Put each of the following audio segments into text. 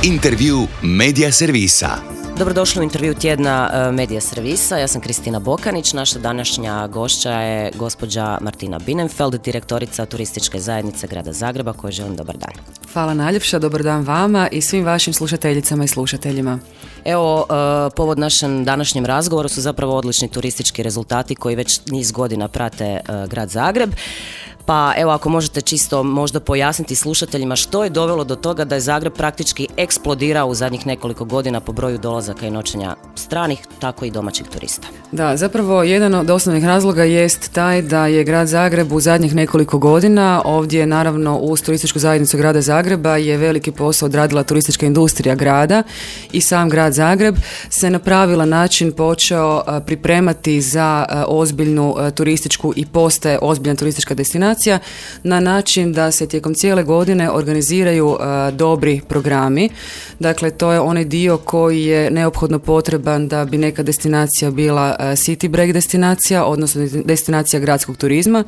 Intervju Medija servisa. Dobrodošli u intervju tjedna Medija servisa. Ja sam Kristina Bokanić. Naša današnja gošća je gospođa Martina Bienenfeld, direktorica turističke zajednice Grada Zagreba, kojoj želim dobar dan. Hvala najljepša, dobar dan vama i svim vašim slušateljicama i slušateljima. Evo, povod našem današnjem razgovoru su zapravo odlični turistički rezultati koji već niz godina prate Grad Zagreb. Pa evo, ako možete čisto možda pojasniti slušateljima što je dovelo do toga da je Zagreb praktički eksplodirao u zadnjih nekoliko godina po broju dolazaka i noćenja stranih, tako i domaćih turista. Da, zapravo jedan od osnovnih razloga jest taj da je Grad Zagreb u zadnjih nekoliko godina, ovdje naravno uz turističku zajednicu Grada Zagreba je veliki posao odradila turistička industrija grada i sam Grad Zagreb se na pravilan način počeo pripremati za ozbiljnu turističku i postaje ozbiljna turistička destinacija na način da se tijekom cijele godine organiziraju dobri programi. Dakle, to je onaj dio koji je neophodno potreban da bi neka destinacija bila city break destinacija, odnosno destinacija gradskog turizma.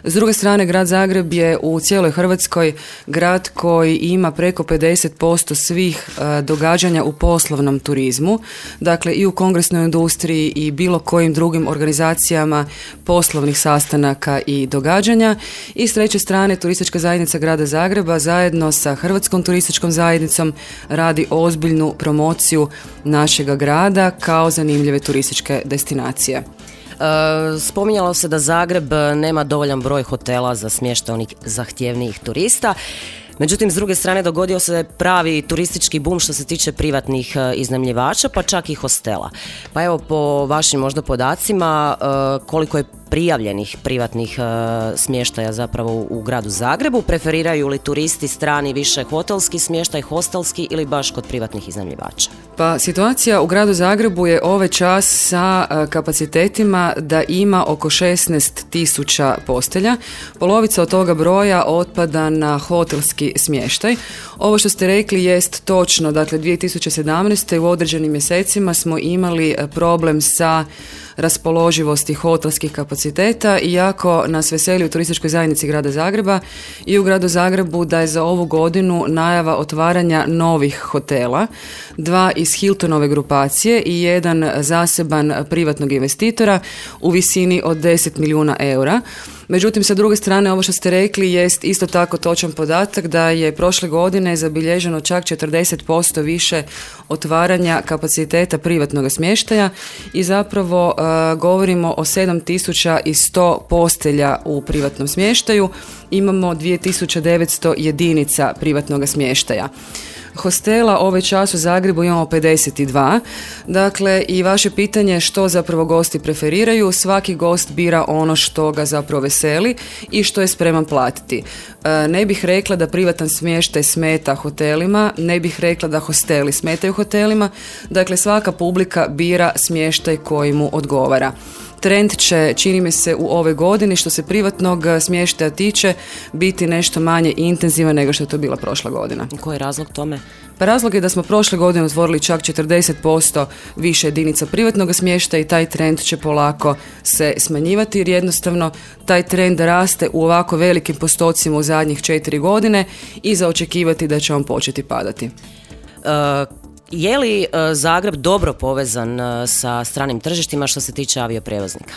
S druge strane, Grad Zagreb je u cijeloj Hrvatskoj grad koji ima preko 50% svih događanja u poslovnom turizmu. Dakle, i u kongresnoj industriji i bilo kojim drugim organizacijama poslovnih sastanaka i događanja. I s treće strane, turistička zajednica Grada Zagreba zajedno sa Hrvatskom turističkom zajednicom radi ozbiljnu promociju našega grada kao zanimljive turističke destinacije. Spominjalo se da Zagreb nema dovoljan broj hotela za smještaj onih zahtjevnijih turista. Međutim, s druge strane dogodio se pravi turistički bum što se tiče privatnih iznajmljivača, pa čak i hostela. Pa evo, po vašim možda podacima, koliko je prijavljenih privatnih smještaja zapravo u Gradu Zagrebu? Preferiraju li turisti strani više hotelski smještaj, hostelski ili baš kod privatnih iznajmljivača? Pa situacija u Gradu Zagrebu je ovaj čas sa kapacitetima da ima oko 16.000 postelja. Polovica od toga broja otpada na hotelski smještaj. Ovo što ste rekli jest točno, dakle 2017. u određenim mjesecima smo imali problem sa raspoloživosti hotelskih kapaciteta, iako nas veseli u turističkoj zajednici Grada Zagreba i u Gradu Zagrebu da je za ovu godinu najava otvaranja novih hotela, 2 iz Hiltonove grupacije i 1 zaseban privatnog investitora u visini od 10 milijuna eura. Međutim, sa druge strane, ovo što ste rekli jest isto tako točan podatak da je prošle godine zabilježeno čak 40% više otvaranja kapaciteta privatnog smještaja i zapravo govorimo o 7100 postelja u privatnom smještaju. Imamo 2900 jedinica privatnog smještaja. Hostela ovaj čas u Zagrebu imamo 52. Dakle, i vaše pitanje što zapravo gosti preferiraju, svaki gost bira ono što ga zapravo veseli i što je spreman platiti. Ne bih rekla da privatan smještaj smeta hotelima, ne bih rekla da hosteli smetaju hotelima, dakle svaka publika bira smještaj koji mu odgovara. Trend će, čini mi se, u ovoj godini što se privatnog smještaja tiče biti nešto manje intenzivan nego što je to bila prošla godina. Koji je razlog tome? Pa razlog je da smo prošle godine otvorili čak 40% više jedinica privatnog smještaja i taj trend će polako se smanjivati jer jednostavno taj trend raste u ovako velikim postocima u zadnjih 4 godine i za očekivati da će on početi padati. Je li Zagreb dobro povezan sa stranim tržištima što se tiče avioprijevoznika?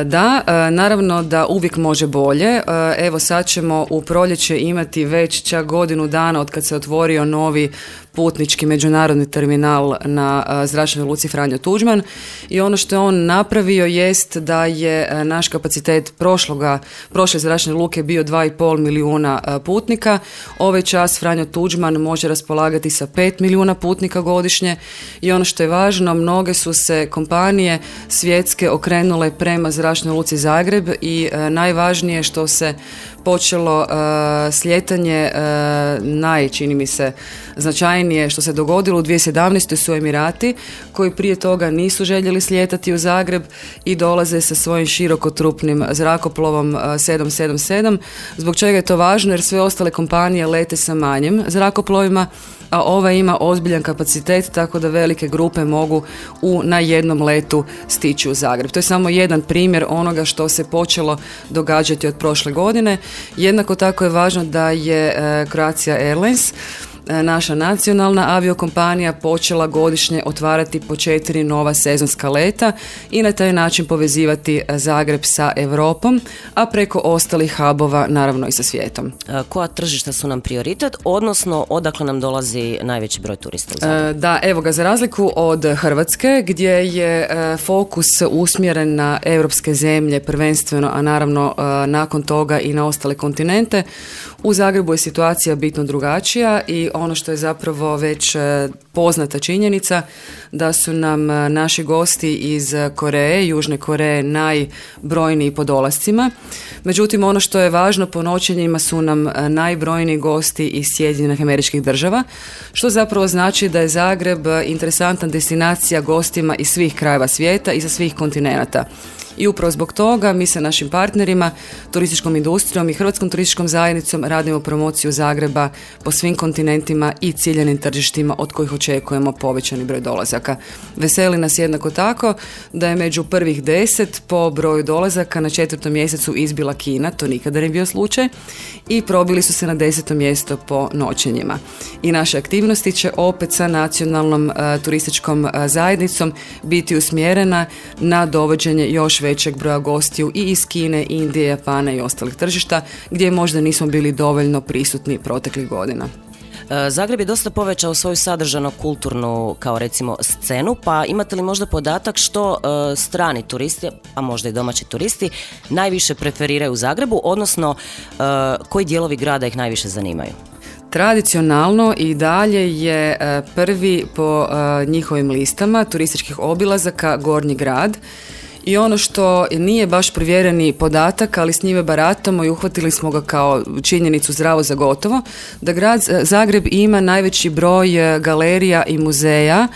Da, naravno da uvijek može bolje. Evo sad ćemo u proljeće imati već čak godinu dana od kad se otvorio novi putnički međunarodni terminal na zračnoj luci Franjo Tuđman i ono što je on napravio jest da je naš kapacitet prošle zračne luke bio 2,5 milijuna putnika. Ovaj čas Franjo Tuđman može raspolagati sa 5 milijuna putnika godišnje i ono što je važno, mnoge su se kompanije svjetske okrenule prema zračnoj luci Zagreb i najvažnije što se počelo slijetanje čini mi se značajnije što se dogodilo u 2017. su Emirati koji prije toga nisu željeli slijetati u Zagreb i dolaze sa svojim širokotrupnim zrakoplovom 777. Zbog čega je to važno? Jer sve ostale kompanije lete sa manjim zrakoplovima, a ova ima ozbiljan kapacitet tako da velike grupe mogu na jednom letu stići u Zagreb. To je samo jedan primjer onoga što se počelo događati od prošle godine. Jednako tako je važno da je Croatia Airlines naša nacionalna aviokompanija počela godišnje otvarati po 4 nova sezonska leta i na taj način povezivati Zagreb sa Europom, a preko ostalih hubova naravno i sa svijetom. Koja tržišta su nam prioritet, odnosno odakle nam dolazi najveći broj turista u Zagreb? Da, evo ga, za razliku od Hrvatske gdje je fokus usmjeren na europske zemlje prvenstveno, a naravno nakon toga i na ostale kontinente, u Zagrebu je situacija bitno drugačija i ono što je zapravo već poznata činjenica da su nam naši gosti iz Koreje, Južne Koreje najbrojniji po dolascima. Međutim, ono što je važno, po noćenjima su nam najbrojniji gosti iz Sjedinjenih Američkih Država, što zapravo znači da je Zagreb interesantna destinacija gostima iz svih krajeva svijeta i sa svih kontinenata. I upravo zbog toga mi sa našim partnerima, turističkom industrijom i Hrvatskom turističkom zajednicom radimo promociju Zagreba po svim kontinentima i ciljanim tržištima od kojih očekujemo povećani broj dolazaka. Veseli nas jednako tako da je među prvih 10 po broju dolazaka na 4. mjesecu izbila Kina, to nikada nije bio slučaj, i probili su se na 10. mjesto po noćenjima. I naše aktivnosti će opet sa nacionalnom turističkom zajednicom biti usmjerena na dovođenje još većeg broja gostiju i iz Kine, Indije, Japana i ostalih tržišta gdje možda nismo bili dovoljno prisutni proteklih godina. Zagreb je dosta povećao svoju sadržajno-kulturnu, kao recimo, scenu, pa imate li možda podatak što strani turisti, a možda i domaći turisti, najviše preferiraju u Zagrebu, odnosno koji dijelovi grada ih najviše zanimaju? Tradicionalno i dalje je prvi po njihovim listama turističkih obilazaka Gornji grad. I ono što nije baš provjereni podatak, ali s njime baratamo i uhvatili smo ga kao činjenicu zdravo za gotovo, da grad Zagreb ima najveći broj galerija i muzeja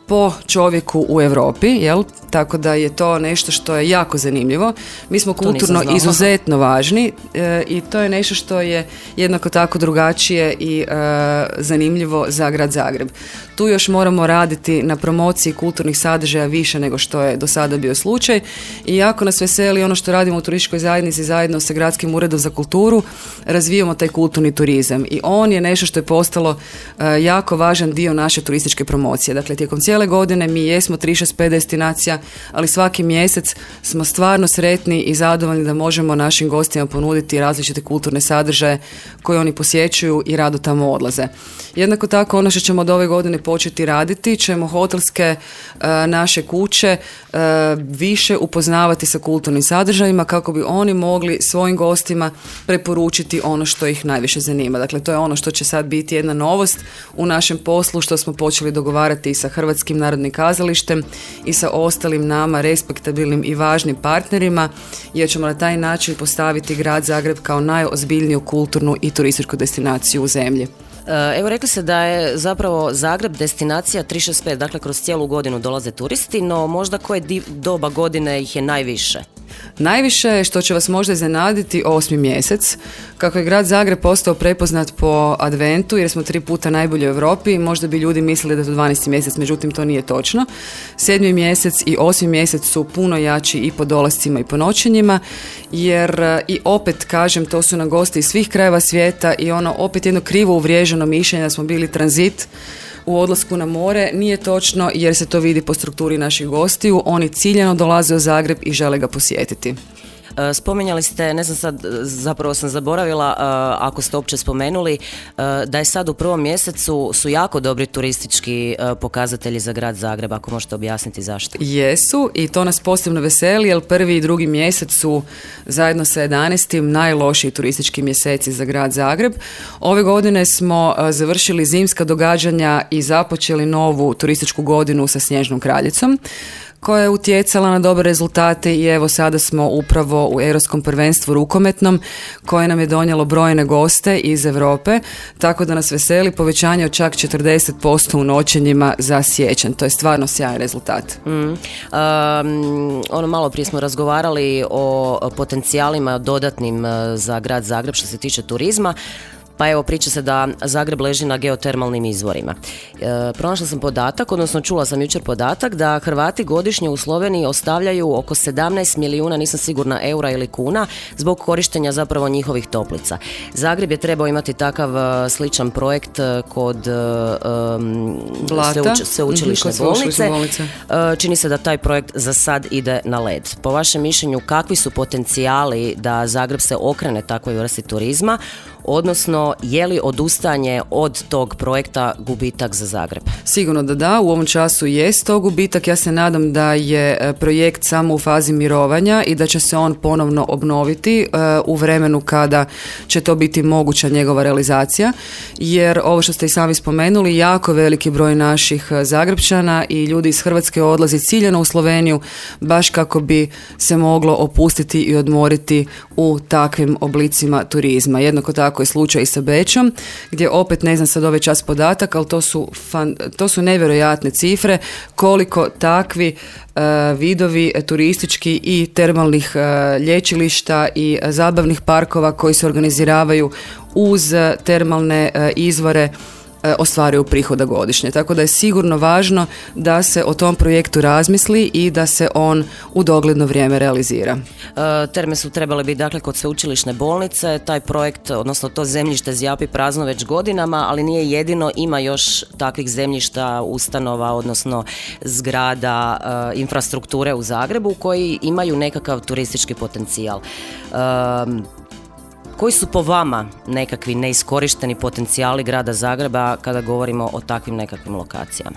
po čovjeku u Europi, jel? Tako da je to nešto što je jako zanimljivo. Mi smo kulturno izuzetno važni i to je nešto što je jednako tako drugačije i zanimljivo za grad Zagreb. Tu još moramo raditi na promociji kulturnih sadržaja više nego što je do sada bio slučaj i jako nas veseli ono što radimo u turističkoj zajednici zajedno sa Gradskim uredom za kulturu, razvijamo taj kulturni turizam i on je nešto što je postalo jako važan dio naše turističke promocije. Dakle, tijekom cijele godine mi jesmo 365 destinacija, ali svaki mjesec smo stvarno sretni i zadovoljni da možemo našim gostima ponuditi različite kulturne sadržaje koje oni posjećuju i rado tamo odlaze. Jednako tako ono što ćemo od ove godine početi raditi, ćemo hotelske naše kuće više upoznavati sa kulturnim sadržajima kako bi oni mogli svojim gostima preporučiti ono što ih najviše zanima. Dakle, to je ono što će sad biti jedna novost u našem poslu, što smo počeli dogovarati i sa Hrvatskim narodnim kazalištem i sa ostalim nama respektabilnim i važnim partnerima, jer ćemo na taj način postaviti grad Zagreb kao najozbiljniju kulturnu i turističku destinaciju u zemlji. Evo, rekli ste da je zapravo Zagreb destinacija 365, dakle kroz cijelu godinu dolaze turisti, no možda koje doba godine ih je najviše? Najviše, što će vas možda iznenaditi, 8. mjesec. Kako je grad Zagreb postao prepoznat po adventu, jer smo 3 puta najbolji u Europi, možda bi ljudi mislili da je to 12. mjesec, međutim to nije točno. 7. mjesec i 8. mjesec su puno jači i po dolascima i po noćenjima, jer i opet kažem, to su nam gosti iz svih krajeva svijeta i ono opet jedno krivo uvriježeno mišljenje da smo bili tranzit u odlasku na more. Nije točno, jer se to vidi po strukturi naših gostiju. Oni ciljano dolaze u Zagreb i žele ga posjetiti. Spominjali ste, ne znam sad, zapravo sam zaboravila, ako ste uopće spomenuli, da je sad u 1. mjesecu su jako dobri turistički pokazatelji za grad Zagreb, ako možete objasniti zašto. Jesu, i to nas posebno veseli, jer 1. i 2. mjesec su zajedno sa 11. najlošiji turistički mjeseci za grad Zagreb. Ove godine smo završili zimska događanja i započeli novu turističku godinu sa Snježnom kraljicom, koja je utjecala na dobre rezultate i evo sada smo upravo u Europskom prvenstvu rukometnom koje nam je donijelo brojne goste iz Europe, tako da nas veseli povećanje od čak 40% u noćenjima za siječanj. To je stvarno sjajan rezultat. Ono, malo prije smo razgovarali o potencijalima dodatnim za grad Zagreb što se tiče turizma. Pa evo, priča se da Zagreb leži na geotermalnim izvorima. Pronašla sam podatak, odnosno čula sam jučer podatak da Hrvati godišnje u Sloveniji ostavljaju oko 17 milijuna, nisam sigurna, eura ili kuna zbog korištenja zapravo njihovih toplica. Zagreb je trebao imati takav sličan projekt kod sveučilišne bolnice. Čini se da taj projekt za sad ide na led. Po vašem mišljenju, kakvi su potencijali da Zagreb se okrene takvoj vrsti turizma, odnosno je li odustajanje od tog projekta gubitak za Zagreb? Sigurno da, u ovom času jest to gubitak. Ja se nadam da je projekt samo u fazi mirovanja i da će se on ponovno obnoviti u vremenu kada će to biti moguća njegova realizacija, jer ovo što ste i sami spomenuli, jako veliki broj naših Zagrepčana i ljudi iz Hrvatske odlazi ciljano u Sloveniju baš kako bi se moglo opustiti i odmoriti u takvim oblicima turizma. Jednako tako je slučaj i sa Bečom, gdje opet ne znam sad ovaj čas podatak, ali to su nevjerojatne cifre koliko takvi vidovi turistički i termalnih lječilišta i zabavnih parkova koji se organiziravaju uz termalne izvore ostvaruju prihoda godišnje. Tako da je sigurno važno da se o tom projektu razmisli i da se on u dogledno vrijeme realizira. Terme su trebale biti dakle kod sveučilišne bolnice. Taj projekt, odnosno to zemljište zjapi prazno već godinama, ali nije jedino, ima još takvih zemljišta, ustanova, odnosno zgrada, infrastrukture u Zagrebu koji imaju nekakav turistički potencijal. Koji su po vama nekakvi neiskorišteni potencijali grada Zagreba kada govorimo o takvim nekakvim lokacijama?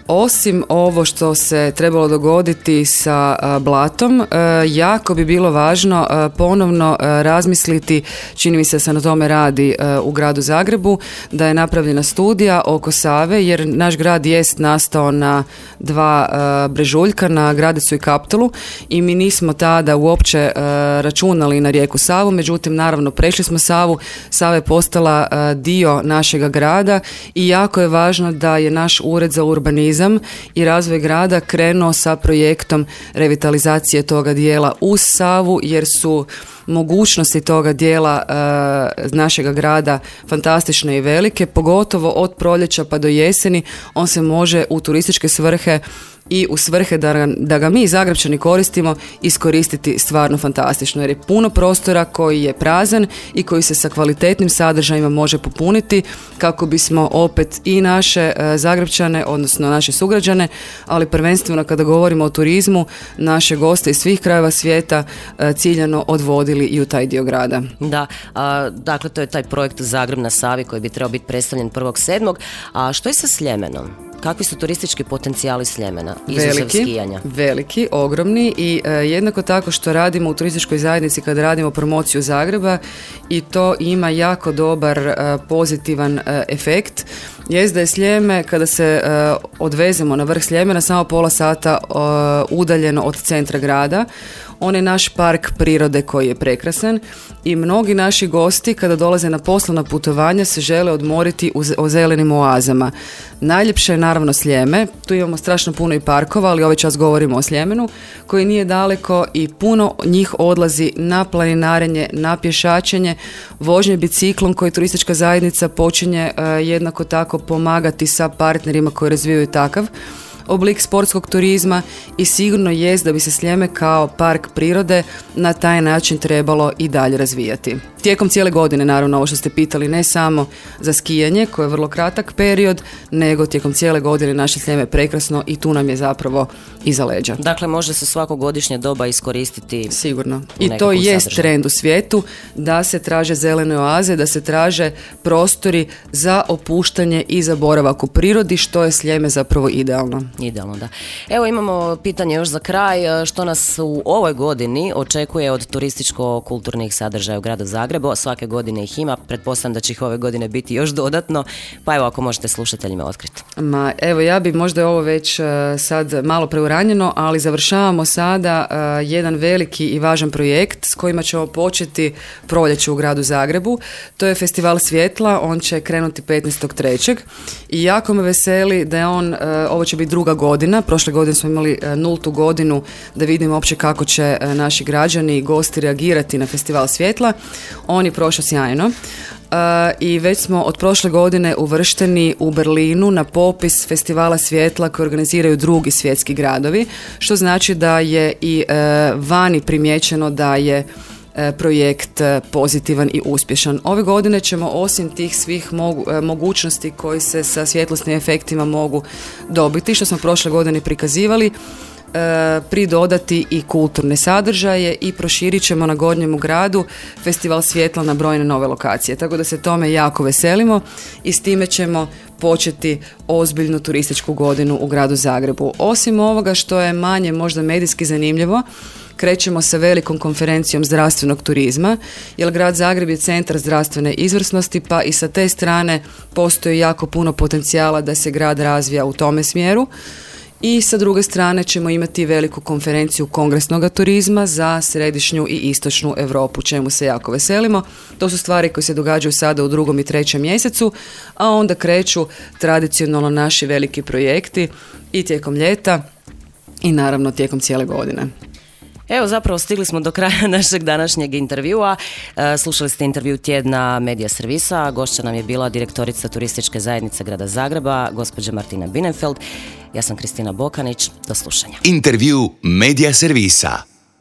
Osim ovo što se trebalo dogoditi sa Blatom, jako bi bilo važno ponovno razmisliti, čini mi se da se na tome radi u gradu Zagrebu, da je napravljena studija oko Save, jer naš grad jest nastao na dva brežuljka, na Gradecu i Kaptolu, i mi nismo tada uopće računali na rijeku Savu, međutim naravno prešli smo Savu, Sava je postala dio našega grada i jako je važno da je naš ured za urbanizam i razvoj grada krenuo sa projektom revitalizacije toga dijela uz Savu, jer su mogućnosti toga dijela našega grada fantastične i velike, pogotovo od proljeća pa do jeseni. On se može u turističke svrhe i u svrhe da ga mi Zagrepčani koristimo iskoristiti stvarno fantastično, jer je puno prostora koji je prazan i koji se sa kvalitetnim sadržajima može popuniti kako bismo opet i naše Zagrepčane, odnosno naše sugrađane, ali prvenstveno kada govorimo o turizmu, naše goste iz svih krajeva svijeta ciljano odvodili i u taj dio grada. Da, dakle to je taj projekt Zagreb na Savi koji bi trebao biti predstavljen 1.7. A što je sa Sljemenom? Kakvi su turistički potencijali Sljemena, izuzev skijanja? Veliki, ogromni, i jednako tako što radimo u turističkoj zajednici kada radimo promociju Zagreba, i to ima jako dobar pozitivan efekt. Jest da je Sljeme, kada se odvezemo na vrh Sljemena, samo pola sata udaljeno od centra grada. On je naš park prirode koji je prekrasan i mnogi naši gosti kada dolaze na poslovna putovanja se žele odmoriti u zelenim oazama. Najljepše je naravno Sljeme, tu imamo strašno puno i parkova, ali ovaj čas govorimo o Sljemenu, koji nije daleko i puno njih odlazi na planinarenje, na pješačenje, vožnje biciklom koji turistička zajednica počinje jednako tako pomagati sa partnerima koji razvijaju takav oblik sportskog turizma, i sigurno jest da bi se Sljeme kao park prirode na taj način trebalo i dalje razvijati. Tijekom cijele godine, naravno, ovo što ste pitali, ne samo za skijanje, koje je vrlo kratak period, nego tijekom cijele godine naše Sljeme je prekrasno i tu nam je zapravo iza leđa. Dakle, može se svako godišnje doba iskoristiti. Sigurno. I to jest trend u svijetu, da se traže zelene oaze, da se traže prostori za opuštanje i za boravak u prirodi, što je Sljeme zapravo idealno. Idealno, da. Evo imamo pitanje još za kraj, što nas u ovoj godini očekuje od turističko-kulturnih sadržaja u gradu Zagrebu. Svake godine ih ima, pretpostavljam da će ih ove godine biti još dodatno, pa evo ako možete slušateljima otkriti. Evo ja bi možda ovo već sad malo preuranjeno, ali završavamo sada jedan veliki i važan projekt s kojima ćemo početi proljeće u gradu Zagrebu. To je Festival svjetla, on će krenuti 15.3. i jako me veseli da je on, ovo će biti druga godina, prošle godine smo imali 0. godinu da vidimo uopće kako će naši građani i gosti reagirati na Festival svjetla. On je prošao sjajno. I već smo od prošle godine uvršteni u Berlinu na popis festivala svjetla koje organiziraju drugi svjetski gradovi, što znači da je i vani primijećeno da je projekt pozitivan i uspješan. Ove godine ćemo osim tih svih mogućnosti koji se sa svjetlosnim efektima mogu dobiti, što smo prošle godine prikazivali, pridodati i kulturne sadržaje i proširit ćemo na Gornjemu gradu festival svjetla na brojne nove lokacije. Tako da se tome jako veselimo i s time ćemo početi ozbiljnu turističku godinu u gradu Zagrebu. Osim ovoga što je manje možda medijski zanimljivo, krećemo sa velikom konferencijom zdravstvenog turizma, jer grad Zagreb je centar zdravstvene izvrsnosti, pa i sa te strane postoji jako puno potencijala da se grad razvija u tome smjeru. I sa druge strane ćemo imati veliku konferenciju kongresnog turizma za središnju i istočnu Europu, čemu se jako veselimo. To su stvari koje se događaju sada u 2. i 3. mjesecu, a onda kreću tradicionalno naši veliki projekti i tijekom ljeta i naravno tijekom cijele godine. Evo, zapravo stigli smo do kraja našeg današnjeg intervjua. Slušali ste intervju tjedna Medija servisa. Gošća nam je bila direktorica turističke zajednice grada Zagreba, gospođa Martina Binenfeld. Ja sam Kristina Bokanić. Do slušanja. Intervju Medija servisa.